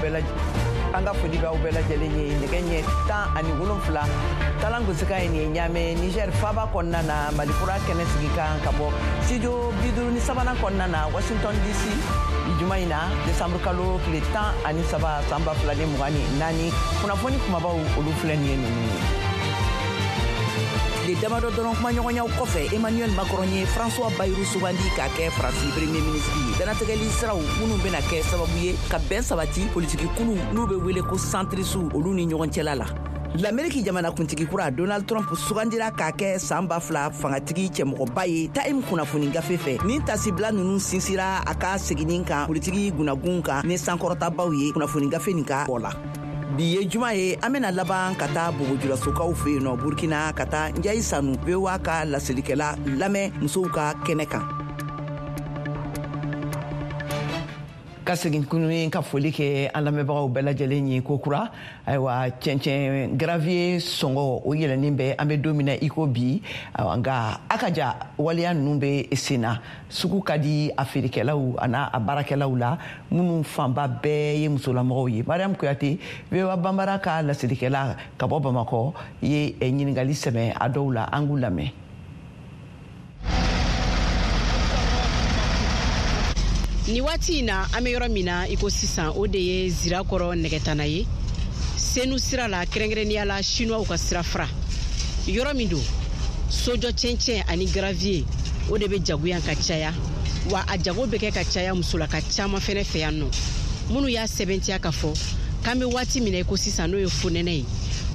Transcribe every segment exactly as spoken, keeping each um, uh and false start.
bɛɛ an ka foli b'aw bɛɛ lajɛlen ye. Nɛgɛ ɲɛ tan ani wolonfila talan gosikan ye nin ye Ɲamɛ, Niger faaba kɔnɔna na, Malikura kɛnɛ sigi kan ka bɔ studio bi duuru ni sabanan kɔnɔna na, Washington D C, bi juma in na, décembre kalo tile tan ani saba san ba fila ni mugan ni naani. Kunnafoni kumabaw, olu filɛ nin ye ninnu ye. Tile damadɔ dɔrɔn kumaɲɔgɔnyaw kɔfɛ, Emmanuel Macron ye François Bayrou sugandi k'a kɛ Faransi premier ministre ye. Danatɛgɛli siraw minnu bɛna kɛ sababu ye ka bɛn sabati politiki kulu n'u bɛ wele ko centriste, olu ni ɲɔgɔn cɛla la. Lameriki jamanakuntigi kura Donald Trump sugandira k'a kɛ san ba fila fangatigi cɛmɔgɔba ye Time kunnafoni gafe fɛ. Nin tasibila ninnu sinsira a ka seginni kan politiki gunagun kan ni sankɔrɔtabaw ye kunnafoni gafe nin ka bɔ la. Bi ye juma ye, an bena laban ka taa Bobojulasokaw fɛ yen nɔ Burkina, ka taa Njayi Sanu, V O A ka laselikɛla lamɛn musow ka kɛnɛ kan. Ka segin kun ka foli kɛ an lamɛnbagaw bɛɛ lajɛlen ye ko kura. Ayiwa, cɛncɛn gravier sɔngɔ o yɛlɛnnen bɛ an bɛ don min na i ko bi. Nka a ka ja waleya ninnu bɛ sen na, sugu ka di a feerekɛlaw a n'a a baarakɛlaw la, minnu fanba bɛɛ ye musolamɔgɔw ye. Mariam Kuyate, V O A Banbara ka laselikɛla ka bɔ Bamakɔ, ye ɲininkali sɛmɛ a dɔw la, an k'u lamɛn. Ni waati in na, an bɛ yɔrɔ min na i ko sisan, o de ye Zirakɔrɔ nɛgɛtana ye, Senu sira la, kɛrɛnkɛrɛnnenya la Sinuwaw ka sira fara. Yɔrɔ min don, sojɔ cɛncɛn ani gravier, o de bɛ jagoya ka caya, wa a jago bɛ kɛ ka caya musolaka caman fɛnɛ fɛ yan nɔ, minnu y'a sɛbɛntiya k'a fɔ k'an bɛ waati min na i ko sisan, n'o ye fonɛnɛ ye,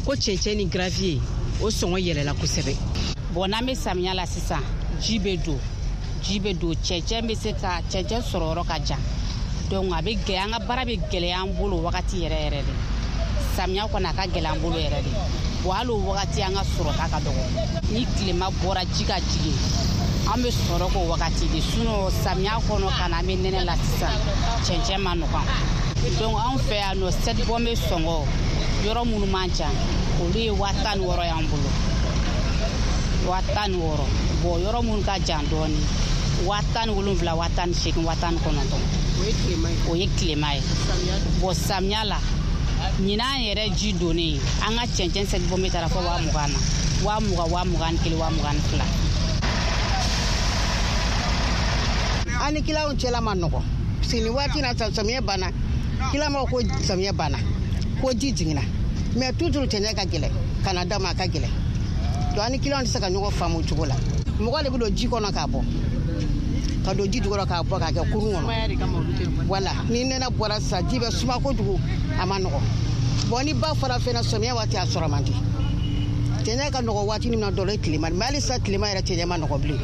ko cɛncɛn ni gravier o sɔngɔ yɛlɛla kosɛbɛ. Bon, n'an bɛ samiya la sisan, ji bɛ don ji bɛ don cɛncɛn bɛ se ka cɛncɛn sɔrɔ yɔrɔ ka jan, donc a bɛ gɛlɛya, an ka baara bɛ gɛlɛya an bolo wagati yɛrɛ yɛrɛ de. Samiya kɔni, a ka gɛlɛn an bolo yɛrɛ de. Bon, hali o wagati, an ka sɔrɔta ka dɔgɔ. Ni tilema bɔra, ji ka jigin, an bɛ sɔrɔ k'o wagati de. Sinon samiya kɔnɔ ka na, an bɛ nɛnɛ la sisan, cɛncɛn ma nɔgɔn. Donc anw fɛ yan nɔ, sept bɔn bɛ sɔngɔ yɔrɔ minnu man ca, olu ye waa tan ni wɔɔrɔ y'an bolo, waa tan ni wɔɔrɔ. Bon, yɔrɔ minnu ka jan dɔɔni, waa tan ni wolonfila, waa tan ni seegin, waa tan ni kɔnɔntɔn. O ye tilema ye. Bon, samiya la, ɲinan yɛrɛ ji donnen, an ka cɛncɛn sept bɔn bɛ taara fɔ waa mugan na, waa mugan, waa mugan ni kelen, waa mugan ni fila. An ni kiliyanw cɛla ma nɔgɔ, parce que nin waati na, samiyɛ banna, kiliyan b'a ko samiyɛ banna, ko ji jiginna, mais toujours cɛncɛn ka gɛlɛn ka na d'a ma, a ka gɛlɛn. Donc an ni kiliyanw tɛ se ka ɲɔgɔn faamu o cogo la. Mɔgɔ de bɛ don ji kɔnɔ k'a bɔ, ka don ji jukɔrɔ k'a bɔ k'a kɛ kurun kɔnɔ. Wala ni nɛnɛ bɔra sisan, ji bɛ suma kojugu, a ma nɔgɔ. Bon, ni ba fara fɛnɛ, samiya waati a sɔrɔ man di. Cɛncɛn ka nɔgɔ waati min na dɔrɔn, o ye tilema, mais hali sisan tilema yɛrɛ, cɛncɛn ma nɔgɔ bilen.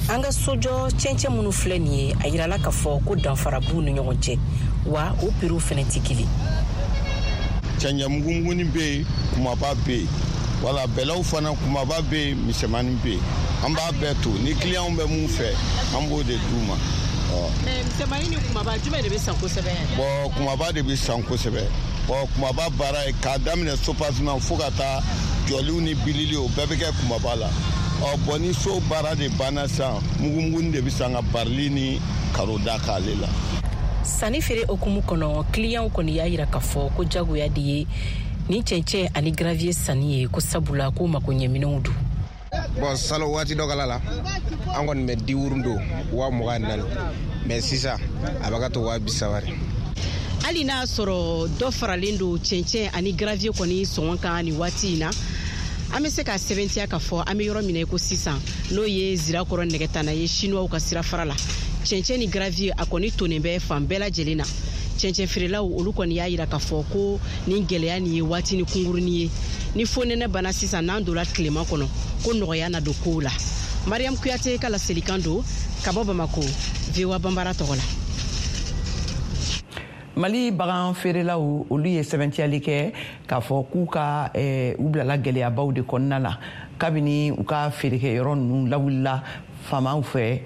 An ka sojɔ cɛncɛn minnu filɛ nin ye, a yirala k'a fɔ ko danfara b'u ni ɲɔgɔn cɛ, wa o piriw fɛnɛ tɛ kelen. Cɛncɛn mugumugunin bɛ yen, kumaba bɛ yen, wala bɛlɛw fana, kumaba bɛ yen, misɛnmanin bɛ yen. An b'a bɛɛ to ni kiliyanw bɛ mun fɛ, an b'o de d'u ma. Mais misɛnmanin ni kumaba, jumɛn de bɛ san kosɛbɛ? Bon, kumaba de bɛ san kosɛbɛ. Bon, kumaba baara ye k'a daminɛ soubassement fo ka taa jɔliw ni bilili, o bɛɛ bɛ kɛ kumaba la. Ɔ bon, ni so baara de banna sisan, mugumugunin de bɛ san ka barili ni carreau da k'ale la. Sanni feere hukumu kɔnɔ, kiliyanw kɔni y'a yira k'a fɔ ko jagoya de ye nin cɛncɛn ani gravier sanni ye, ko sabula ko makoɲɛminɛnw don. Bon, salo waati dɔ kala la, an kɔni bɛ diwurun don waa mugan ni naani, mais sisan a bɛ ka to waa bi saba de. Hali n'a sɔrɔ dɔ faralen don cɛncɛn ani gravier kɔni sɔngɔ kan nin waati in na, an bɛ se ka sɛbɛntiya k'a fɔ an bɛ yɔrɔ min na i ko sisan, n'o ye Zirakɔrɔ nɛgɛtana ye, Sinuwaw ka sira fara la, cɛncɛn ni gravier a kɔni tonnen bɛ fan bɛɛ lajɛlen na. Cɛncɛn feerelaw, olu kɔni y'a yira k'a fɔ ko nin gɛlɛya nin ye waati ni kunkurunin ye. Ni fonɛnɛ banna sisan, n'an donna tilema kɔnɔ, ko nɔgɔya na don kow la. Mariam Kuyate ka laselikan don ka bɔ Bamako, V O A Banbara tɔgɔ la. Mali bagan feerelaw, olu ye sɛbɛntiyali kɛ k'a fɔ k'u ka eh, u bilala gɛlɛyabaw de kɔnɔna la kabini u ka feerekɛyɔrɔ ninnu lawulila faamaw fɛ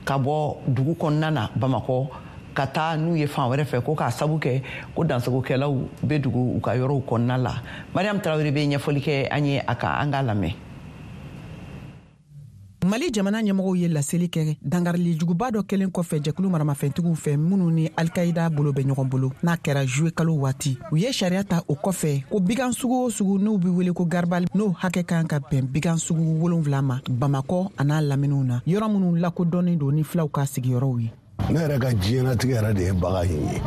ka bɔ dugu kɔnɔna na Bamakɔ ka taa n'u ye fan wɛrɛ fɛ, ko k'a sabu kɛ ko dansagokɛlaw bɛ dugu u ka yɔrɔw kɔnɔna la. Mariam Tarawele bɛ ɲɛfɔli kɛ an ye a kan, an k'a lamɛn. Mali jamana ɲɛmɔgɔw ye laseli kɛ dangarili juguba dɔ kɛlen kɔfɛ jɛkulu maramafɛntigiw fɛ minnu ni Alkaïda bolo bɛ ɲɔgɔn bolo n'a kɛra juillet kalo waati. U ye sariya ta o kɔfɛ ko bigan sugu o sugu n'u bɛ wele ko garibali n'o hakɛ kan ka bɛn bigan sugu wolonwula ma Bamakɔ an'a laminiw na, yɔrɔ minnu lakodɔnnen don ni filaw ka sigiyɔrɔw ye. Ne yɛrɛ ka diɲɛnatigɛ yɛrɛ de ye bagan in ye.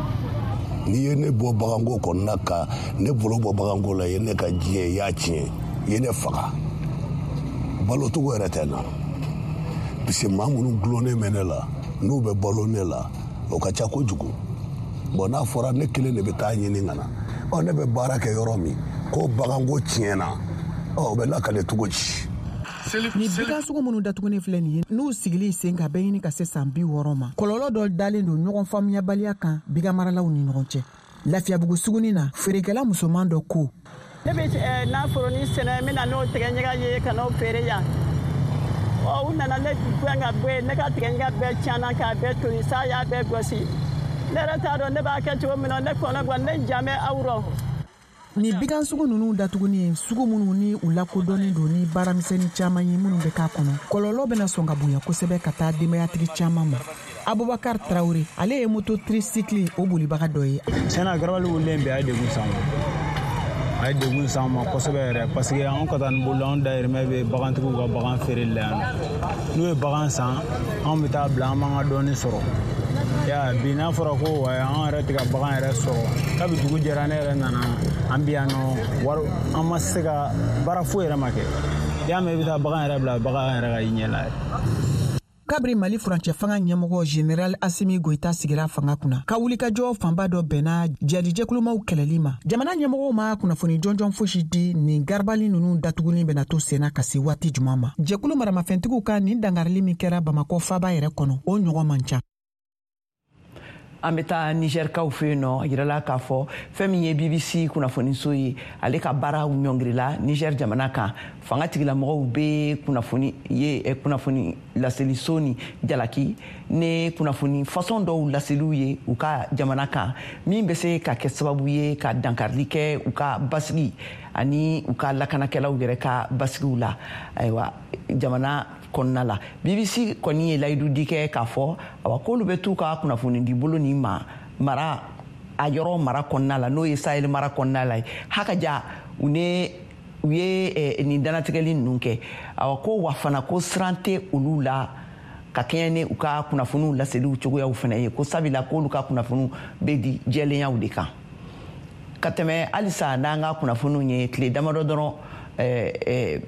N'i ye ne bɔ baganko kɔnɔna ka ne bolo bɔ baganko la, i ye ne ka diɲɛ, i y'a tiɲɛ, i ye ne faga. Balocogo yɛrɛ tɛ n na. Parce que maa minnu gulonnen bɛ ne la, n'u bɛ balo ne la, o ka ca kojugu. Bon, n'a fɔra ne kelen de bɛ taa ɲini ka na, ɔ ne bɛ baara kɛ yɔrɔ min ko baganko tiɲɛna, ɔ o bɛ lakale cogo di? Ni bigan sugu minnu datugunen filɛ nin ye, n'u sigili sen kan bɛ ɲini ka se san bi wɔɔrɔ ma, kɔlɔlɔ dɔ dalen don ɲɔgɔn faamuyabaliya kan bigan maralaw ni ɲɔgɔn cɛ. Lafiyabugu suguni na, feerekɛla musoman dɔ ko: Ne bɛ naforonin sɛnɛ, n bɛ na n'o tigɛɲaga ye ka n'o feere yan. Ɔ u nana ne gɛn ka bɔ yen, ne ka tigɛɲaga bɛɛ tiɲɛna k'a bɛɛ toli, sa y'a bɛɛ gosi. Ne yɛrɛ t'a dɔn ne b'a kɛ cogo min na, ne kɔnɔ gan, ne jan bɛ aw rɔ. Ni bigan sugu ninnu datuguni ye, sugu minnu ni u lakodɔnnen don ni baaramisɛnnin caman ye minnu bɛ k'a kɔnɔ, kɔlɔlɔ bɛna sɔn ka bonya kosɛbɛ ka taa denbayatigi caman ma. Abubakar Traore, ale ye moto tricycle o bolibaga dɔ ye. Tiɲɛna, garabali wulilen bi, a ye degun s'an ma, a ye degun s'an ma kosɛbɛ yɛrɛ, parce que anw ka taa ni bolo, anw dayirimɛ bɛ bagantigiw ka bagan feereli la yan nɔ. N'u ye bagan san, anw bɛ taa bila, an b'an ka dɔɔni sɔrɔ. Ya bi n'a fɔra ko wa an yɛrɛ tɛ ka bagan yɛrɛ sɔrɔ, kabi dugu jɛra ne yɛrɛ nana an bi yan nɔ, wari an ma se ka baara foyi yɛrɛ ma kɛ. I y'a mɛn, i bɛ taa bagan yɛrɛ bila, bagan yɛrɛ ka i ɲɛ la yɛrɛ. Kabiri Mali furancɛ fanga ɲɛmɔgɔ Général Assimi Goïta sigira fanga kunna, ka wulikajɔ fanba dɔ bɛnna jadijɛkulumaw kɛlɛli ma, jamana ɲɛmɔgɔw ma kunnafoni jɔnjɔn fosi di nin garibali ninnu datuguni bɛna to senna ka se waati juman ma. Jɛkulu maramafɛntigiw ka nin dangarili min kɛra Bamakɔ faaba yɛrɛ kɔnɔ, o ɲɔgɔn man ca. An bɛ taa Nizɛrikaw fɛ yen nɔ. A yirala k'a fɔ fɛn min ye B B C kunnafoniso ye, ale ka baaraw ɲɔngirila Nizɛri jamana kan. Fanga tigilamɔgɔw bɛ kunnafoni ye kunnafoni laseliso ni jalaki ni kunnafoni fasɔn dɔw laseliw ye u ka jamana kan, min bɛ se ka kɛ sababu ye ka dankarili kɛ u ka basigi ani u ka lakanakɛlaw yɛrɛ ka basigiw la. Ayiwa, jamana kɔnɔna la, B B C kɔni ye layidu di kɛ k'a fɔ awa k'olu bɛ t'u ka kunnafoni di bolo nin ma mara a yɔrɔ mara kɔnɔna la, n'o ye Sahel mara kɔnɔna la ye. Hakaja u ne u ye nin dannatigɛli ninnu kɛ. Awa ko wa fana ko siran tɛ olu la ka kɛɲɛ ni u ka kunnafoniw laseliw cogoyaw fana ye, ko sabula k'olu ka kunnafoniw bɛ di jɛlenyaw de kan. Ka tɛmɛ halisa n'an ka kunnafoniw ye, tile damadɔ dɔrɔn ɛɛ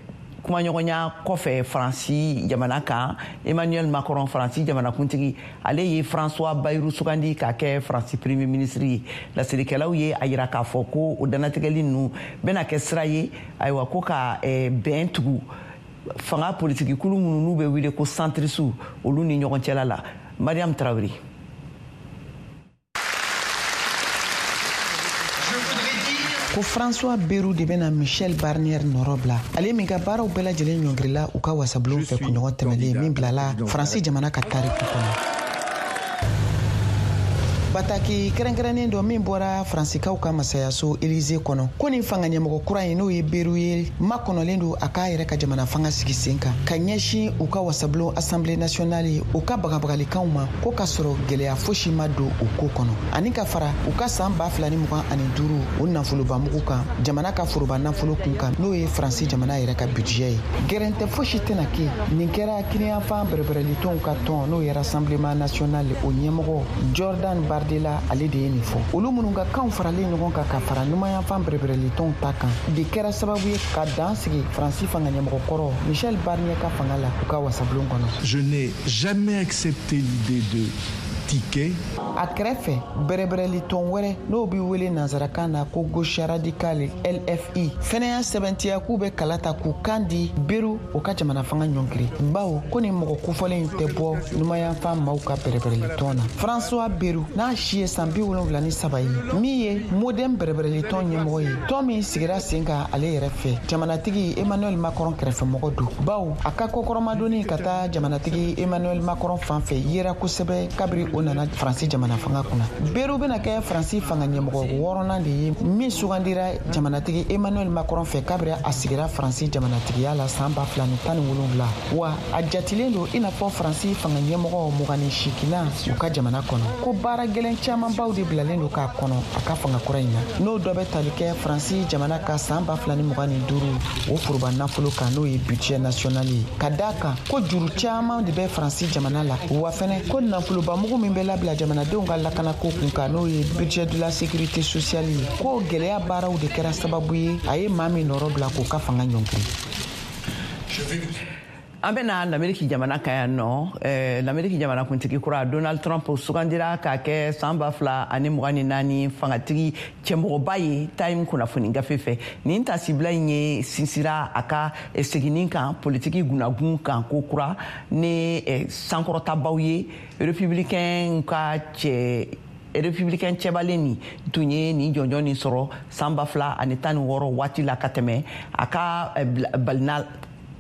kumaɲɔgɔnya kɔfɛ Faransi jamana kan, Emmanuel Macron, Faransi jamanakuntigi, ale ye François Bayrou sugandi k'a kɛ Faransi premier ministre ye. Laselikɛlaw ye a yira k'a fɔ ko o dannatigɛli ninnu bɛna kɛ sira ye, ayiwa, ko ka bɛn tugu fanga politiki kulu minnu n'u bɛ wele ko centriste, olu ni ɲɔgɔn cɛla la. Mariam Traoré. Ko François Bayrou de bɛna Michel Barnier nɔrɔ bila, ale min ka baaraw bɛɛ lajɛlen ɲɔngirila u ka wasabulon fɛ kunɲɔgɔn tɛmɛlen min bilala Faransi jamana ka tariku kɔnɔ. Bataki kɛrɛnkɛrɛnnen dɔ min bɔra Faransikaw ka masayaso Élysée kɔnɔ, ko nin fanga ɲɛmɔgɔ kura in, n'o ye Bayrou ye, makɔnɔlen don a k'a yɛrɛ ka jamana fanga sigi sen kan ka ɲɛsin u ka wasabulon Assemblée nationale ye, u ka bagabagalikanw ma, ko ka sɔrɔ gwɛlɛya fosi ma don o ko kɔnɔ, ani ka fara u ka san ba fila ni mugan ani duuru o nafolobamugu kan, jamana ka foroba nafolo kun kan, n'o ye Faransi jamana yɛrɛ ka budget ye. Gɛrɛntɛ fosi tɛna kɛ. Nin kɛra kiniyanfan bɛrɛbɛrɛlitɔnw ka tɔn, n'o ye Rassemblement national, o ɲɛmɔgɔ Jordan Bardella, ale de ye nin fɔ. Olu minnu ka kanw faralen ɲɔgɔn kan ka fara numayanfan bɛrɛbɛrɛlitɔnw ta kan de kɛra sababu ye ka dan sigi Faransi fanga ɲɛmɔgɔkɔrɔ Michel Barnier ka fanga la u ka wasabulon kɔnɔ. Je n'ai jamais accepté l'idée de ticket. A kɛrɛfɛ, bɛrɛbɛrɛlitɔn wɛrɛ, n'o bɛ wele nansarakan na ko gauche radicale L F I, fɛnɛ y'a sɛbɛntiya k'u bɛ kala ta k'u kan di Bayrou, o ka jamana fanga ɲɔngiri, bawo ko nin mɔgɔ kofɔlen tɛ bɔ numayanfan maaw ka bɛrɛbɛrɛlitɔn na. François Bayrou, n'a si ye san bi wolonwula ni saba ye, min ye Modem bɛrɛbɛrɛlitɔn ɲɛmɔgɔ ye, tɔn min sigira sen kan ale yɛrɛ fɛ, jamanatigi Emmanuel Macron kɛrɛfɛmɔgɔ don, bawo a ka kɔkɔrɔmadonni ka taa jamanatigi Emmanuel Macron fan fɛ yera kosɛbɛ kabiri o nana Faransi jamana fanga kunna. Beru bɛna kɛ Faransi fanga ɲɛmɔgɔ wɔɔrɔnan de ye min sugandira jamanatigi Emmanuel Macron fɛ kabiri a sigira Faransi jamanatigiya la san ba fila ni tan ni wolonwula. Wa a jatilen don i n'a fɔ Faransi fanga ɲɛmɔgɔ mugan ni seeginnan u ka jamana kɔnɔ. Ko baara gɛlɛn camanbaw de bilalen don k'a kɔnɔ a ka fanga kura in na. N'o dɔ bɛ tali kɛ Faransi jamana ka san ba fila ni mugan ni duuru o foroba nafolo kan, n'o ye budget national ye. Ka d'a kan ko juru caman de bɛ Faransi jamana la, wa fɛnɛ ko nafolobamugu min bɛ labila jamanadenw ka lakanako kun kan, n'o ye budget de la sécurité sociale ye, ko gɛlɛya baaraw de kɛra sababu ye a ye maa min nɔrɔ bila k'o ka fanga ɲɔngiri. An bɛna Lameriki jamana kan yan nɔ. eh, Lameriki jamana kuntigi kura Donald Trump sugandira k'a kɛ san ba fila ani mugan ni naani fangatigi cɛmɔgɔba ye Time kunnafoni gafe fɛ. Nin tasibila in ye sinsira a ka seginni kan politiki gunagun kan ko kura ni eh, sankɔrɔtabaw ye. Républicain ka cɛ Républicain cɛbalen nin tun ye nin jɔnjɔn nin sɔrɔ san ba fila ani tan ni wɔɔrɔ waati la ka tɛmɛ a ka balina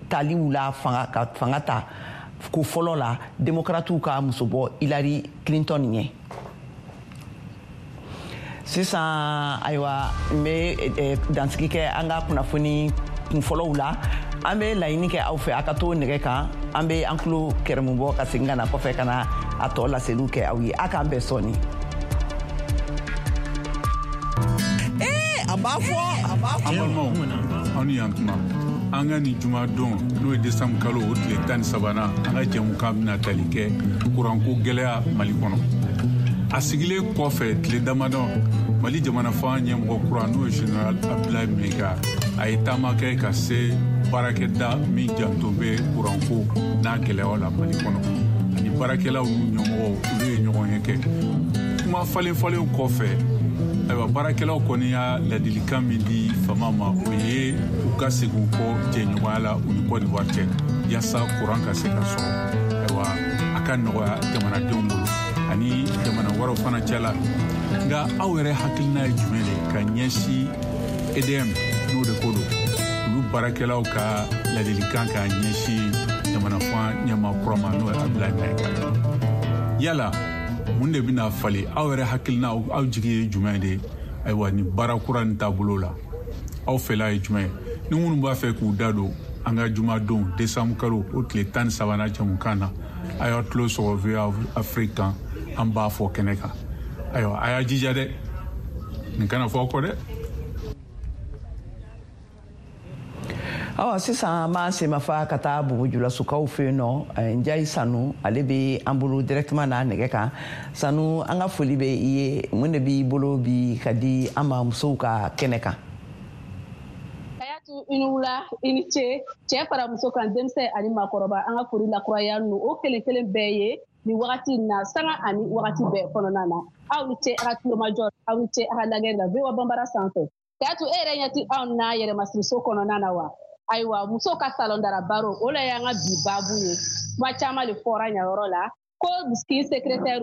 taliw la fanga ka fanga ta ko fɔlɔ la démocratiw ka musobɔ Hillary Clinton ɲɛ. Sisan ayiwa, n bɛ dansigi kɛ an ka kunnafoni kunfɔlɔw la. An bɛ laɲini kɛ aw fɛ a ka to nɛgɛ kan, an bɛ an tulo kɛrɛmu bɔ ka segin ka na kɔfɛ ka na a tɔ laseliw kɛ aw ye. A k'an bɛn sɔɔni. Ee, a b'a fɔ a b'a fɔ. An balimaw, aw ni yan tuma. An ka nin jumadon, n'o ye desanburu kalo o tile tan ni sabanan, an ka jɛmukan bɛna tali kɛ kuranko gɛlɛya Mali kɔnɔ. A sigilen kɔfɛ tile damadɔ, Mali jamana fanga ɲɛmɔgɔ kura, n'o ye Général Abdoulaye Maïga, a ye taama kɛ ka se baarakɛda min janto bɛ kuranko n'a gɛlɛyaw la Mali kɔnɔ, ani baarakɛlaw n'u ɲɛmɔgɔw, olu ye ɲɔgɔn ye kɛ. Kuma falen falenw kɔfɛ, ayiwa, baarakɛlaw kɔni y'a ladilikan min di fama ma, o ye u ka segin u kɔ jɛɲɔgɔnya la u ni Côte d'Ivoire cɛ, yaasa kuran ka se ka sɔrɔ, ayiwa, a ka nɔgɔya jamanadenw bolo ani jamana wɛrɛw fana cɛ la. Nka aw yɛrɛ hakilina ye jumɛn de ka ɲɛsin E D M, n'o de ko don, olu baarakɛlaw ka ladilikan ka ɲɛsin jamana fanga ɲɛmaa kura ma, n'o ye Abdoulaye Maïga? Yala mun de bɛna falen? Aw yɛrɛ hakilina, aw jigi ye jumɛn de ye ayiwa nin baara kura nin taabolo la? Aw fɛla ye jumɛn ye? Ni minnu b'a fɛ k'u da don an ka jumadon desanburu kalo o tile tan ni sabanan jɛmukan na, a y'aw tulo sɔgɔ V O A Afrique kan, an b'a fɔ kɛnɛ kan. Ayiwa, a y'a jija dɛ, nin kana fɔ aw kɔ dɛ. Awa, sisan an b'an senmafa ka taa Bobo-Dioulasokaw fɛ yen nɔ. Njayi Sanu, ale bɛ an bolo directement n'a nɛgɛ kan. Sanu, an ka foli bɛ i ye. Mun de b'i bolo bi ka di an ma musow ka kɛnɛ kan? Kayatu, i ni wula, i ni ce. Cɛ fara muso kan, denmisɛn ani maakɔrɔba, an ka foli lakuraya nu o kelen kelen bɛɛ ye nin wagati in na, sanga ani wagati bɛɛ kɔnɔna na. Aw ni ce a ka tulomajɔ, aw ni ce a ka lajɛ la V O A Banbara sanfɛ. Kayatu, e yɛrɛ ɲɛ ti anw na yɛrɛmasiriso kɔnɔna na wa? Ayiwa, musow ka salon dara baro, o la y'an ka bi baabu ye. Kuma caman de fɔra ɲayɔrɔ la ko kin secrétaire,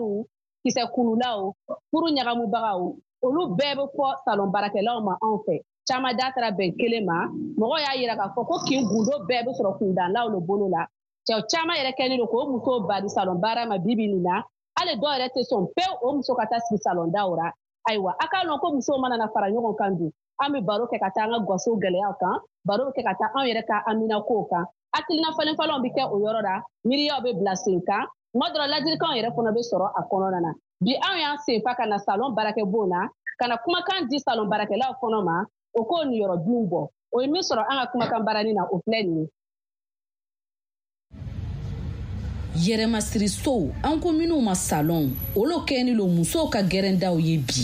kisɛ kunulaw, furu ɲagamubagaw, olu bɛɛ bɛ fɔ salon baarakɛlaw ma anw fɛ. Caman da taara bɛn kelen ma. Mɔgɔw y'a yira k'a fɔ ko kin gundo bɛɛ bɛ sɔrɔ kundanlaw de bolo la. Cɛw caman yɛrɛ kɛlen don k'o musow bali salon baara ma bi bi nin na. Hali dɔw yɛrɛ tɛ sɔn pewu o muso ka taa sigi salon daw la. Ayiwa, a k'a lɔn ko musow mana na fara ɲɔgɔn kan dun, an bɛ baro kɛ ka taa an ka gaso gɛlɛyaw kan, baro bɛ kɛ ka taa anw yɛrɛ ka aminakow kan. Hakilina falen falenw bɛ kɛ o yɔrɔ la, miiriyaw bɛ bila sen kan, tuma dɔ la ladilikanw yɛrɛ fana bɛ sɔrɔ a kɔnɔna na. Bi anw y'an senfa ka na salon baarakɛbon na, ka na kumakan di salon baarakɛlaw kɔnɔ ma, o k'o niyɔrɔ binw bɔ. O ye min sɔrɔ an ka kumakan baaranin na, o filɛ nin ye. Yɛrɛmasirisow, an ko minnu ma salon, olu kɛlen don musow ka gɛrɛndaw ye bi.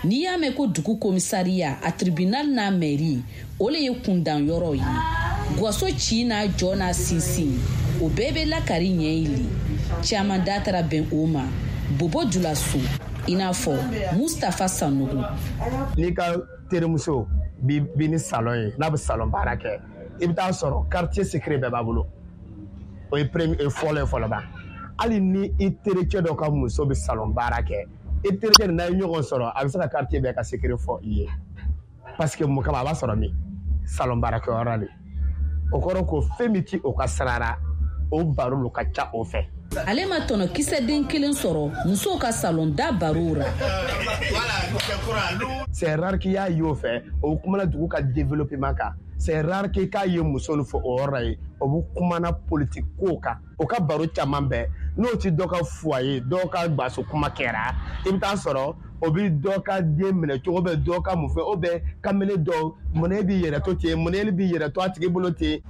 N'i y'a mɛn ko dugu komisariya, a tribunal n'a mairie, o le ye kundan yɔrɔ ye. Gwaso ci n'a jɔ n'a sinsin, o bɛɛ bɛ lakari ɲɛ ile. Caman da taara bɛn o ma Bobo-Dioulasso, i n'a fɔ Mustapha Sanogo. N'i ka terimuso bi bi ni salon ye, n'a bɛ salon baara kɛ, i bɛ taa sɔrɔ quartier secret bɛɛ b'a bolo. O ye premier fɔlɔ ye fɔlɔ ba. Hali ni i terikɛ dɔ ka muso bɛ salon baara kɛ, i terikɛ n'a ye ɲɔgɔn sɔrɔ, a bɛ se ka quartier bɛɛ ka secret fɔ i ye. Parce que mun kama a b'a sɔrɔ min salon baarakɛyɔrɔ de. O kɔrɔ ko fɛn min ti o ka sira la, o baro lo ka ca o fɛ. Ale ma tɔnɔ kisɛ den kelen sɔrɔ musow ka salon da barow ra. C'est rare k'i y'a ye o fɛ, o kumana dugu ka développement kan. C'est rare k'i k'a ye muso nin fɔ o yɔrɔ la yen, o bɛ kumana politique kow kan. O ka baro caman bɛɛ n'o ti dɔ ka foyer, dɔw ka gaso kuma kɛra, i bɛ taa sɔrɔ o bɛ dɔ ka den minɛ cogo bɛ dɔ ka mun fɛ, o bɛ kamalen dɔw mun e b'i yɛrɛ to ten, mun e b'i yɛrɛ to a tigi bolo ten.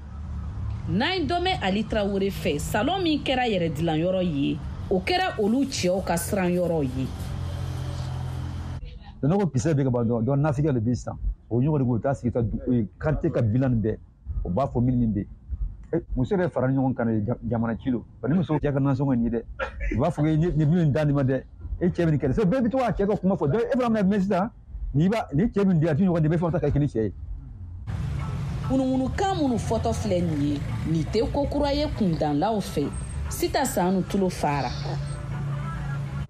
N'an dɔ mɛn Ali Tarawele fɛ, salon min kɛra yɛrɛ dilanyɔrɔ ye, o kɛra olu cɛw ka siran yɔrɔ ye. Ne ko kisɛ bɛ ka ban dɔrɔn, donc nafigiya de bɛ sisan. O ɲɔgɔn de ko u taa sigi ka quartier ka bilan nin bɛɛ, o b'a fɔ min min bɛ yen. Muso yɛrɛ fara ɲɔgɔn kan jamana ci lo, ni muso cɛ ka nasɔngɔ nin ye dɛ, u b'a fɔ ko nin min da nin ma dɛ, e cɛ bɛ nin kɛ dɛ, bɛɛ bɛ to k'a cɛ ka kuma fɔ, donc e fana bɛna mɛn sisan, n'i b'a ni cɛ min di a ti ɲɔgɔn di, bɛɛ fana ta ka kɛ ni cɛ ye. Ŋunuŋunukan minnu fɔtɔ filɛ nin ye, nin tɛ ko kura ye kundanlaw fɛ. Sita Sanu tulo fara.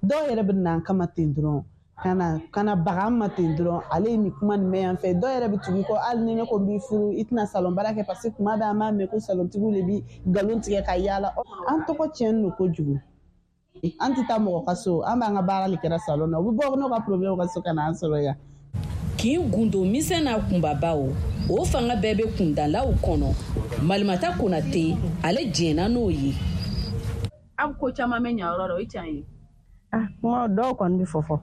Dɔw yɛrɛ bɛ na an kama ten dɔrɔn, ka na ka na baga an ma ten dɔrɔn, ale ye nin kuma nin mɛn yan fɛ. Dɔw yɛrɛ bɛ tugu i kɔ, hali ni ne ko n b'i furu, i tɛna salon baara kɛ, parce que kuma bɛɛ an b'a mɛn ko salontigiw de bi nkalon tigɛ ka yaala. An tɔgɔ tiɲɛnen don kojugu. An tɛ taa mɔgɔ ka so, an b'an ka baara de kɛra salon na, u bɛ bɔ n'u ka problème ka so ka na an sɔrɔ yan. Kin gundo misɛn n'a kunbabaw, o fanga bɛɛ bɛ kundalaw kɔnɔ. Malimata Konate, ale jɛnna n'o ye. Aw ko caman bɛ ɲa yɔrɔ la, o ye tiɲɛ ye. Ah, kuma dɔw kɔni bɛ fɔ fɔ.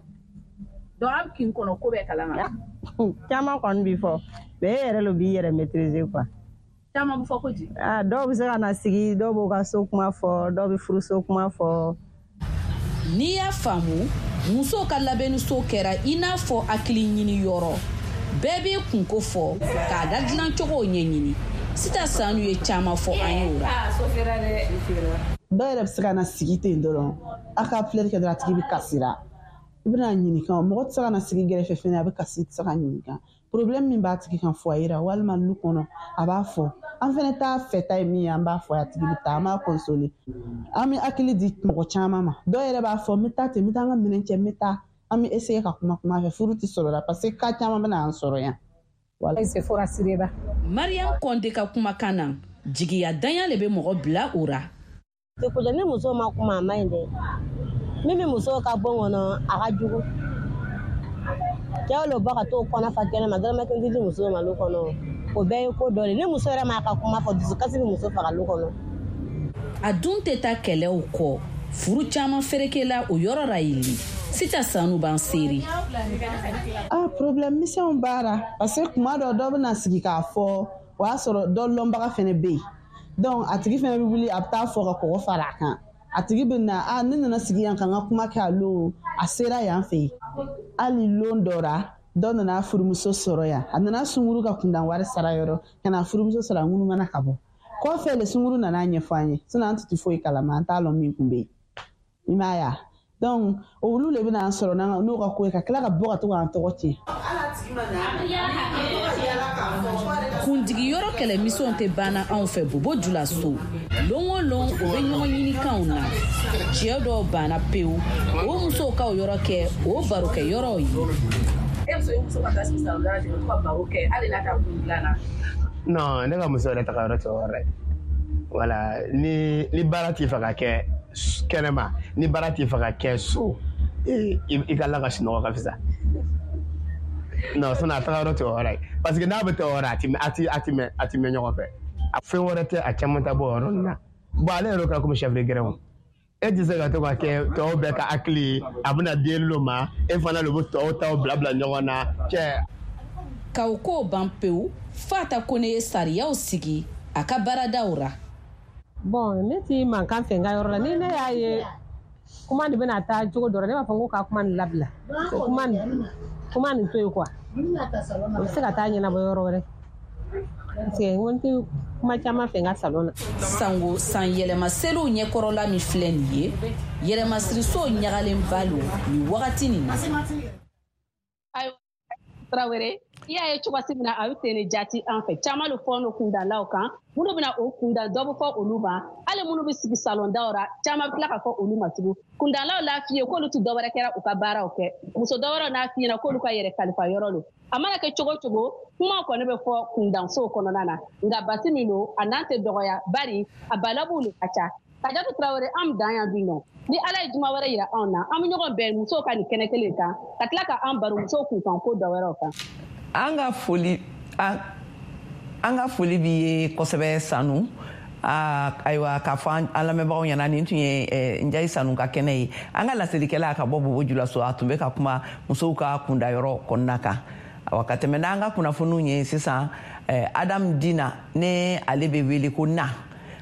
Donc aw kin kɔnɔ ko bɛɛ kalama. Caman kɔni bɛ fɔ, mais e yɛrɛ de b'i yɛrɛ maîtriser quoi. Caman bɛ fɔ ko di? Ah, dɔw bɛ se ka na sigi, dɔw b'u ka so kuma fɔ, dɔw bɛ furuso kuma fɔ. N'i y'a faamu, musow ka labɛnniso kɛra i n'a fɔ hakili ɲini yɔrɔ. Bɛɛ b'i kunko fɔ k'a da dilancogo ɲɛɲini. Sita Sanu ye caman fɔ an ye o la. Dɔw yɛrɛ bɛ se ka na sigi ten dɔrɔn, a ka filɛli kɛ dɔrɔn, a tigi bɛ kasira. I bɛna ɲininka, mɔgɔ tɛ se ka na sigi gɛrɛfɛ fɛnɛ, a bɛ kasi, i tɛ se ka ɲininka. Problème min b'a tigi kan foyer la walima lu kɔnɔ, a b'a fɔ. An fɛnɛ t'a fɛta ye min ye, an b'a fɔ a tigi bɛ taa, an b'a consoler. An bɛ hakili di mɔgɔ caman ma. Dɔw yɛrɛ b'a fɔ n bɛ taa ten, n bɛ taa n ka minɛn cɛ, n bɛ taa. An bɛ essayer ka kuma kuma fɛ, furu tɛ sɔrɔ la parce que cas caman bɛ na an sɔrɔ yan. Mariam Konde ka kumakan na, jigiya danya de bɛ mɔgɔ bila o ra. Ni muso ma kuma a man ɲi dɛ. Min bɛ muso ka bon kɔnɔ, a ka jugu. Cɛw le bɔ ka t'o kɔnɔ fa kɛnɛ ma, dɔrɔmɛ kelen tɛ di muso ma lu kɔnɔ. O bɛɛ ye ko dɔ de ye. Ni muso yɛrɛ m'a ka kuma fɔ, dusukasi bɛ muso faga lu kɔnɔ. A dun tɛ taa kɛlɛw kɔ. Furu caman ferekela o yɔrɔ ra yen. Sita Sanu b'an seere. Ah, problème misɛnw b'a la, parce que kuma dɔ dɔ bɛna sigi k'a fɔ, o y'a sɔrɔ dɔ lɔnbaga fɛnɛ bɛ yen. Donc a tigi fɛnɛ bɛ wuli, a bɛ taa fɔ ka kɔgɔ fara a kan. A tigi bɛ na, ah, ne nana sigi yan ka n ka kuma kɛ a lon, a sera yan fɛ yen. Hali lon dɔ la, dɔ nana furumuso sɔrɔ yan. A nana sunkuru ka kundan wari sara yɔrɔ, ka na furumuso sɔrɔ a ŋunumana ka bɔ. Kɔfɛ le sunkuru nana ɲɛfɔ an ye, sinon an tɛ foyi kalama, an t'a lɔn min kun bɛ yen. I m'a ye wa? Donc olu le bɛna an sɔrɔ n'o ka ko ye, ka tila ka bɔ ka to k'an tɔgɔ tiɲɛ. Kundigiyɔrɔ kɛlɛmisɛnw tɛ banna anw fɛ Bobo Julaso. Lon o lon, o bɛ ɲɔgɔn ɲinikanw na. Cɛ dɔw banna pewu, o musow ka o yɔrɔ kɛ o barokɛyɔrɔw ye. E muso ye muso ka taa sigi salon da la ten, ka to ka baro kɛ hali n'a t'a kun dilan na. Non, ne ka muso yɛrɛ taga yɔrɔ tɛ o yɔrɔ ye. Voilà, ni ni baara t'i fɛ ka kɛ kɛnɛma, ni baara t'i fɛ ka kɛ so, i ka la ka sunɔgɔ ka fisa. Non, sinon a taga yɔrɔ tɛ o yɔrɔ ye. Parce que n'a bɛ taa o yɔrɔ, a ti a ti a ti mɛn a ti mɛn ɲɔgɔn fɛ. A fɛn wɛrɛ tɛ, a caman ta bɔ o yɔrɔ ninnu na. Bon, ale yɛrɛ kɛra komi chef de grin o. E tɛ se ka to ka kɛ tɔw bɛɛ ka hakili ye, a bɛna den lo ma, e fana de bɛ tɔw taw bila bila ɲɔgɔn na cɛ. K'aw ko ban pewu, Fata Kone ye sariyaw sigi a ka baaradaw ra. Bon, ne ti mankan fɛ n ka yɔrɔ la. Ni ne y'a ye kuma nin bɛna taa cogo dɔ la, ne b'a fɔ n ko ka kuma nin labila. Kuma nin kuma nin to yen quoi. O bɛ se ka taa ɲɛnabɔ yɔrɔ wɛrɛ. Parce que n ko n tɛ kuma caman fɛ n ka salon na. Sango san yɛlɛma seliw ɲɛkɔrɔla min filɛ nin ye, yɛlɛmasiriso ɲagalenba lo nin wagati nin na. Ayiwa Tarawele, i y'a ye cogoya min na a bɛ ten de jate an fɛ. Caman de fɔ n'o kundalaw kan, minnu bɛna o kunda, dɔ bɛ fɔ olu ma, hali minnu bɛ sigi salon daw la, caman bɛ tila ka fɔ olu ma tugun. Kundalaw l'a f'i ye k'olu tɛ dɔwɛrɛ kɛra u ka baaraw kɛ. Muso dɔwɛrɛw n'a f'i ɲɛna k'olu ka yɛrɛ kalifa yɔrɔ lo. A mana kɛ cogo cogo, kuma kɔni bɛ fɔ kundansow kɔnɔna na. Nka basi min don, a n'an tɛ dɔgɔya, bari a balabuw de ka ca. Kajatu Tarawele, an bɛ dan yan bi nɔ. Ni Ala ye juma wɛrɛ yira anw na, an bɛ ɲɔgɔn bɛn musow ka nin kɛnɛ kelen kan, ka tila ka an baro musow kunkan ko dɔ wɛrɛw kan. An ka foli an ka foli b'i ye kosɛbɛ Sanu. Ayiwa, k'a fɔ an lamɛnbagaw ɲɛna, nin tun ye Njayi Sanu ka kɛnɛ ye. An ka laselikɛla ka bɔ Bobo Julaso, a tun bɛ ka kuma musow ka kundayɔrɔ kɔnɔna kan. Awa, ka tɛmɛ n'an ka kunnafoniw ye sisan, Adam Dina, ne ale bɛ wele ko Na,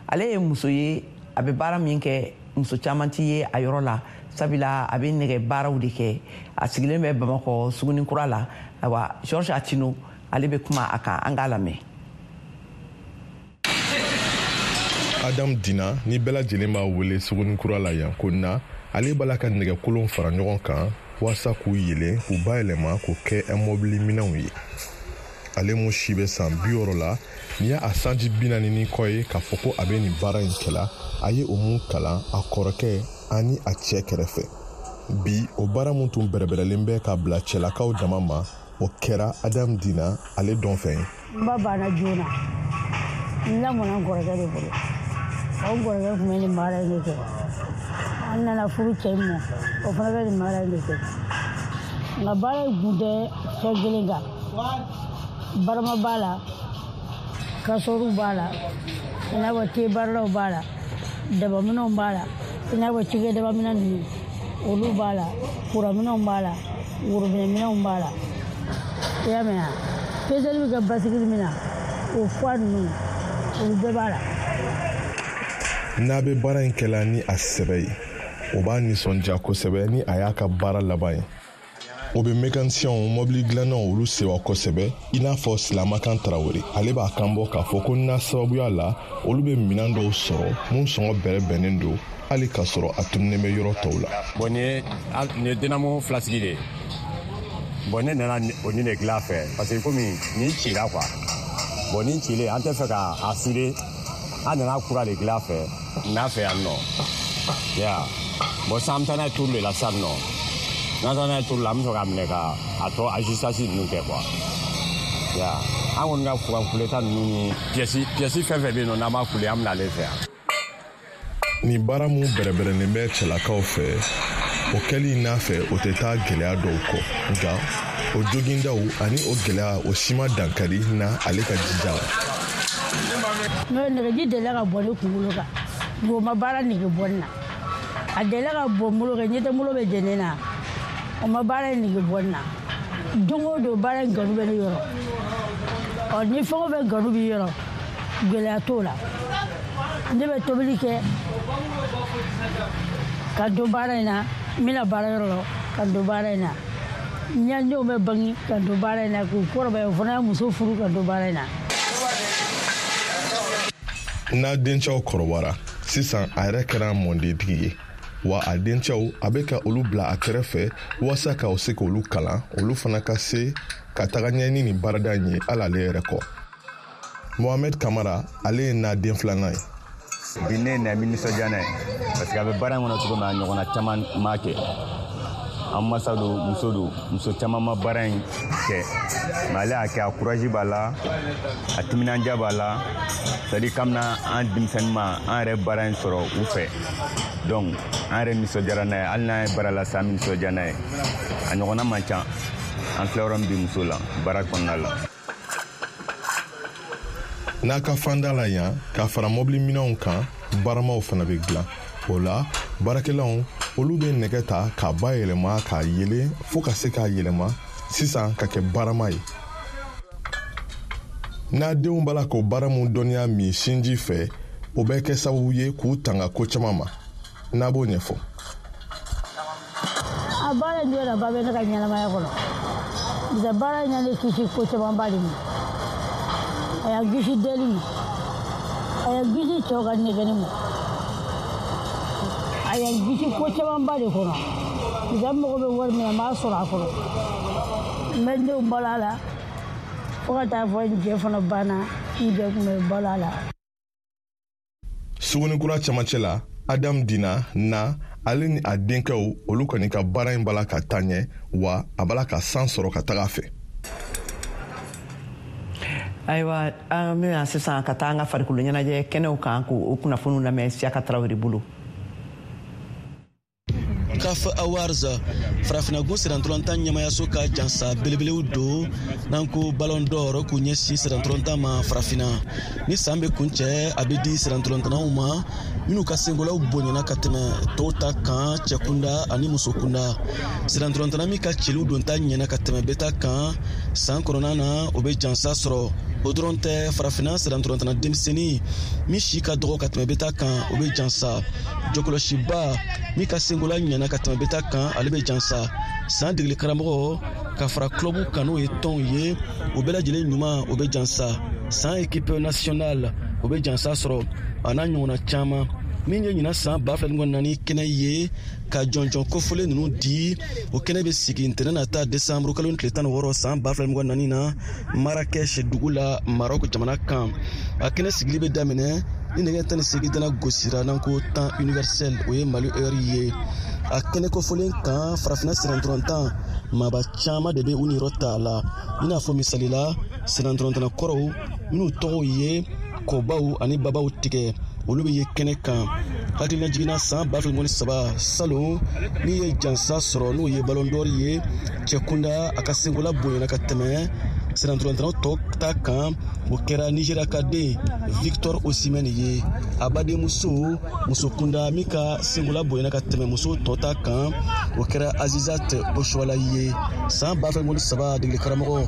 ale ye muso ye, a bɛ baara min kɛ, muso caman ti ye a yɔrɔ la, sabula a bɛ nɛgɛ baaraw de kɛ. A sigilen bɛ Bamakɔ Sugunikura la. Ayiwa, Georges Atino, ale bɛ kuma a kan, an k'a lamɛn. Adam Dina, ni bɛɛ lajɛlen b'a wele Sugunikura la yan ko Na, ale b'a la ka nɛgɛkolon fara ɲɔgɔn kan walasa k'u yelen, k'u bayɛlɛma k'u kɛ mɔbili minɛnw ye. Ale mun si bɛ san bi wɔɔrɔ la, n'i y'a sanji bi naani ni kɔ ye k'a fɔ ko a bɛ nin baara in kɛla, a ye o mun kalan a kɔrɔkɛ ani a cɛ kɛrɛfɛ. Bi, o baara mun tun bɛrɛbɛrɛlen bɛ ka bila cɛlakaw dama ma, o kɛra Adam Dina ale dɔn fɛn ye. N ba banna joona, n lamɔna n kɔrɔkɛ de bolo. O kɔrɔkɛ tun bɛ nin baara in de kɛ. An nana furu cɛ in ma, o fana bɛ nin baara in de kɛ. Nka baara in kun tɛ fɛn kelen kan. Barama b'a la, kasɔrɔw b'a la, i n'a fɔ te baaralaw b'a la, dabaminɛnw b'a la, i n'a fɔ cikɛdabaminɛn ninnu olu b'a la, kuraminɛnw b'a la, worobinɛminɛnw b'a la. I y'a mɛn wa? Peseli bɛ kɛ basigili min na, o fuwa ninnu, olu bɛɛ b'a la. N'a bɛ baara in kɛla ni a sɛbɛ ye, o b'a nisɔndiya kosɛbɛ ni a y'a ka baara laban ye. O bɛ mekanisiyɛnw, mɔbili dilannaw, olu sewa kosɛbɛ, i n'a fɔ Silamakan Tarawele. Ale b'a kan bɔ k'a fɔ ko n'a sababuya la, olu bɛ minɛn dɔw sɔrɔ mun sɔngɔ bɛrɛ bɛnnen don, hali k'a sɔrɔ a tununnen bɛ yɔrɔ tɔw la. Bon, nin ye nin ye dynamo filasigi de ye. Bon, ne nana o nin de dilan a fɛ, parce que komi nin cira quoi. Bon, nin cilen, an tɛ fɛ ka a souder, an nana kura de dilan a fɛ n'a fɛ yan nɔ. Ya bon, sisan an bɛ taa n'a ye turu de la sisan nɔ. N'an taara n'a ye turu la, an bɛ sɔrɔ k'a minɛ ka a tɔ ajustage ninnu kɛ quoi. Ya an kɔni ka kuran kuleta ninnu ni pièce pièce fɛn fɛn bɛ yen nɔ, n'an b'a kule, an bɛ n'ale fɛ yan. Nin baara mun bɛrɛbɛrɛlen bɛ cɛlakaw fɛ, o kɛli n'a fɛ, o tɛ taa gɛlɛya dɔw kɔ. Nka o jogindaw ani o gɛlɛya, o si ma dankari na ale ka jija la. N'o nɛgɛji delila ka bɔ ne kunkolo kan, nka o ma baara nege bɔ ne na. A delila ka bɔ n bolo kan, ɲɛ tɛ n bolo bɛ jɛni na, o ma baara in nege bɔ ne na. Don o don baara in kanu bɛ ne yɔrɔ. Ɔ, ni fɛn o fɛn kanu b'i yɔrɔ, gɛlɛya t'o la. Ne bɛ tobili kɛ ka don baara in na, n bɛna baara yɔrɔ la ka don baara in na. N ya denw bɛ bange ka don baara in na, k'u kɔrɔbaya, o fana ye muso furu ka don baara in na. N'a dencɛw kɔrɔbayara sisan, a yɛrɛ kɛra mɔndentigi ye, wa a dencɛw, a bɛ ka olu bila a kɛrɛfɛ walasa ka o se k'olu kalan, olu fana ka se ka taga ɲɛ ni nin baarada in ye hali ale yɛrɛ kɔ. Mohamed Kamara, ale ye n'a den filanan ye. Bi ne na bɛ nisɔndiya n'a ye, parce que a bɛ baara in kɔnɔ cogo min, a ɲɔgɔnna caman m'a kɛ. An masa don, muso don, muso caman ma baara in kɛ, mais ale y'a kɛ. A courage b'a la, a timinandiya b'a la, c'est à dire kabini an denmisɛnnin ma, an yɛrɛ baara in sɔrɔ u fɛ. Donc an yɛrɛ nisɔndiyara n'a ye, hali n'an ye baara la sa, an bɛ nisɔndiya n'a ye. A ɲɔgɔnna man ca. An filɛ yɔrɔ min bi, muso la baara kɔnɔna la. N'a ka fanda la yan, ka fara mɔbili minɛnw kan, baramaw fana bɛ dilan. O la, baarakɛlaw, olu bɛ nɛgɛ ta k'a bayɛlɛma, k'a yelen fo ka se k'a yɛlɛma sisan ka kɛ barama ye. N'a denw b'a la k'o baara mun dɔnniya min sinji fɛ, o bɛ kɛ sababu ye k'u tanga ko caman ma. N'a b'o ɲɛfɔ. A baara in jɔdaba bɛ ne ka ɲɛnamaya kɔnɔ. Bisa baara in ye ne kisi ko camanba de ma. A y'an kisi deli ma, a y'an kisi cɛw ka nɛgɛnni ma, a y'an kisi ko camanba de kɔnɔ. Bisa n mago bɛ wari min na, n b'a sɔrɔ a kɔnɔ. N bɛ n denw balo a la, fo ka taa fɔ n cɛ fana banna, n cɛ tun bɛ balo a la. Sugunikura cɛmancɛ la, Adam Dina na, ale ni a denkɛw, olu kɔni ka baara in bala ka taa ɲɛ, wa a bala ka san sɔrɔ ka taga a fɛ. Ayiwa, an bɛna sisan ka taa an ka farikolo ɲɛnajɛ kɛnɛw kan k'o kunnafoniw lamɛn Siyaka Tarawele bolo. C A F Awards, farafinnagun sirantɔlɔntan ɲɛmayaso ka jansa belebelew don n'an ko Ballon d'Or k'u ɲɛsin sirantɔlɔntan ma farafinna. Ni san bɛ kuncɛ, a bɛ di sirantɔlɔntannaw ma minnu ka senkolaw bonyana ka tɛmɛ tɔw ta kan, cɛkunda ani musokunda. Sirantɔlɔntanna min ka cɛliw donta ɲɛna ka tɛmɛ bɛɛ ta kan san kɔnɔna na, o bɛ jansa sɔrɔ. O dɔrɔn tɛ, farafinna sirantɔlɔntanna denmisɛnnin min si ka dɔgɔ ka tɛmɛ bɛɛ ta kan, o bɛ jansa. Jɔkɔlɔsiba min ka senkola ɲɛna ka tɛmɛ bɛɛ ta kan, ale bɛ jansa. San degeli karamɔgɔ ka fara club kan, n'o ye tɔnw ye, o bɛɛ lajɛlen ɲuman, o bɛ jansa. San équipe nationale, o bɛ jansa sɔrɔ, a n'a ɲɔgɔnna caman. Min ye ɲinan san ba fila ni naani kɛnɛ ye ka jɔnjɔn kofɔlen ninnu di, o kɛnɛ bɛ sigi ntɛnɛn nata, desanburu kalo tile tan ni wɔɔrɔ san ba fila ni naani na, Marakɛsi dugu la, Marɔku jamana kan. A kɛnɛ sigili bɛ daminɛ ni nɛgɛ tan ni seegin dana gosira, n'an ko temps universel, o ye Mali heure ye. A kɛnɛ kofɔlen kan, farafinna sirantɔlɔntan maaba caman de bɛ u niyɔrɔ ta a la, i n'a fɔ misali la sirantɔlɔntanna kɔrɔw minnu tɔgɔw ye kɔbaw ani babaw tigɛ, olu bɛ ye kɛnɛ kan. Hakilina jiginna, san ba fila ni saba salon, min ye jansa sɔrɔ, n'o ye Ballon d'Or ye cɛkunda, a ka senkola bonyana ka tɛmɛ sirantɔlɔntannaw tɔ ta kan, o kɛra Nigéria ka den Victor Osimhen ye. A badenmuso musokunda min ka senkola bonyana ka tɛmɛ muso tɔ ta kan, o kɛra Asisat Oshoala ye. San ba fila ni saba degeli karamɔgɔ,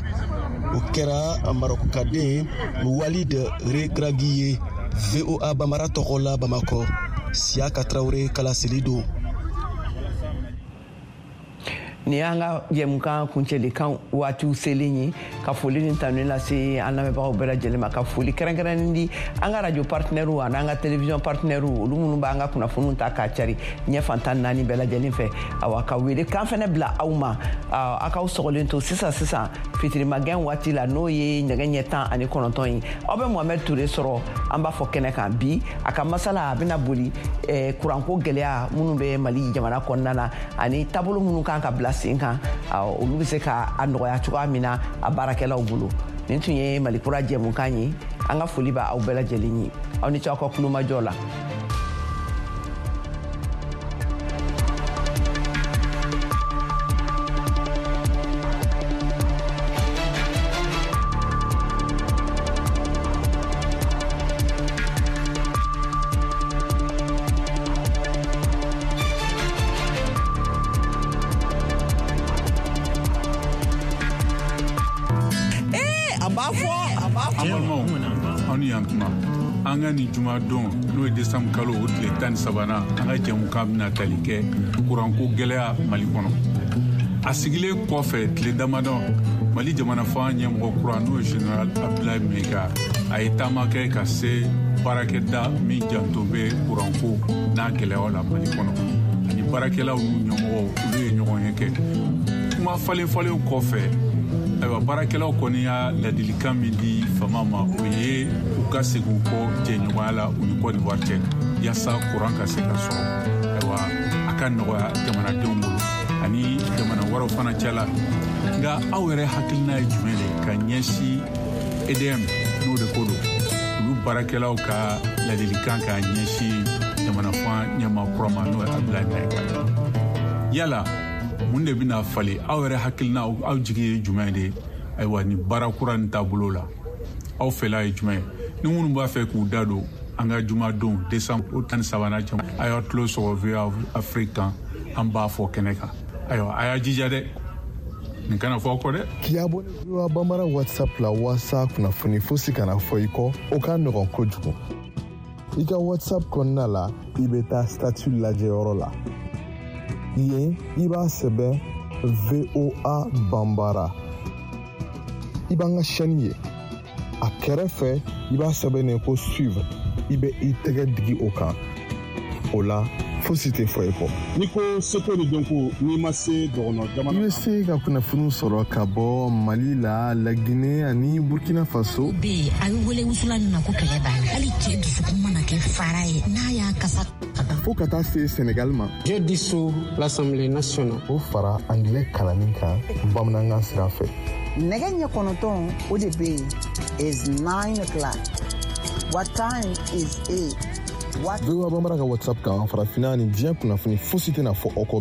o kɛra Marɔku ka den Walid Regragui ye. V O A Bambara tɔgɔ la, Bamakɔ, Siyaka Tarawele kalaseli don. Nin y'an ka jɛmukan kuncɛlikan waatiw selen ye. Ka foli ni tanuni lase an lamɛnbagaw bɛɛ lajɛlen ma, ka foli kɛrɛnkɛrɛnnen di an ka radio partenaires ani an ka télévision partenaires, olu minnu b'an ka kunnafoniw ta k'a cari ɲɛ fantan naani bɛɛ lajɛlen fɛ. Awa, ka wele kan fɛnɛ bila aw ma, aw k'aw sɔgɔlen to sisan sisan fitirimagɛn waati la, n'o ye nɛgɛ ɲɛ tan ani kɔnɔntɔn ye, aw bɛ Mohamɛd Ture sɔrɔ an b'a fɔ kɛnɛ kan. Bi a ka masala a bɛna boli kuranko gɛlɛya minnu bɛ Mali jamana kɔnɔna na ani taabolo minnu kan ka bila sen kan, olu bɛ se ka a nɔgɔya cogoya min na a baarakɛlaw bolo. Nin tun ye Mali Kura jɛmukan ye. An ka foli b'a aw bɛɛ lajɛlen ye. Aw ni ce aw ka kulomajɔ la. An ka nin jumadon, n'o ye desanburu kalo o tile tan ni sabanan, an ka jɛmukan bɛna tali kɛ kuranko gɛlɛya Mali kɔnɔ. A sigilen kɔfɛ tile damadɔ, Mali jamana fanga ɲɛmɔgɔ kura, n'o ye Général Abdoulaye Maïga, a ye taama kɛ ka se baarakɛda min janto bɛ kuranko n'a gɛlɛyaw la Mali kɔnɔ, ani baarakɛlaw n'u ɲɛmɔgɔw, olu ye ɲɔgɔn ye kɛ. Kuma falen falen kɔfɛ, ayiwa, baarakɛlaw kɔni y'a ladilikan min di fama ma, o ye u ka segin u kɔ jɛɲɔgɔnya la u ni Côte d'Ivoire cɛ, yaasa kuran ka se ka sɔrɔ, ayiwa, a ka nɔgɔya jamanadenw bolo ani jamana wɛrɛw fana cɛla. Nka aw yɛrɛ hakilina ye jumɛn de ka ɲɛsin E D M, n'o de ko don, olu baarakɛlaw ka ladilikan ka ɲɛsin jamana fan ɲɛmaa kura ma, n'o ye Abdoulaye Maïga? Yala mun de bɛna falen? Aw yɛrɛ hakilina, aw jigi ye jumɛn de ye, ayiwa, ni baara kura nin taabolo la, aw fɛla ye jumɛn ye? Ni minnu b'a fɛ k'u da don an ka jumadon décembre o tan ni sabanan jama, a y'a tulo sɔgɔ V O A Afrique kan, an b'a fɔ kɛnɛ kan. Ayiwa, a y'a jija dɛ, nin kana fɔ aw kɔ dɛ. K'i abonné V O A Bambara WhatsApp la waasa kunnafoni fosi kana fɔ i kɔ, o ka nɔgɔn kojugu. I ka WhatsApp kɔnɔna la, i bɛ taa statut lajɛyɔrɔ la. Yen, i b'a sɛbɛn V O A Bambara, i b'an ka chaîne ye. A kɛrɛfɛ, i b'a sɛbɛn ko suivre, i bɛ i tɛgɛ digi o kan. O la, fosi tɛ fɔ i kɔ. N'i ko seko ni dɔnko, n'i ma se dɔgɔnɔ jamana I bɛ se ka kunnafoniw sɔrɔ ka bɔ Mali la, Laginɛ ani Burkina Faso. Bɛ yen, a bɛ wele wusula min ma ko kɛlɛ b'a la, hali cɛ dusukun mana kɛ fara ye, n'a y'a kasa. Fo ka taa se Senegal ma. Je dissous l'Assemblée nationale. O fara angilɛ kalanni kan bamanankan sira fɛ. Nɛgɛ ɲɛ kɔnɔntɔn o de bɛ yen is nine o'clock. What time is it? What V O A Bambara ka WhatsApp kan, farafinna ni diɲɛ kunnafoni fosi tɛna fɔ aw kɔ.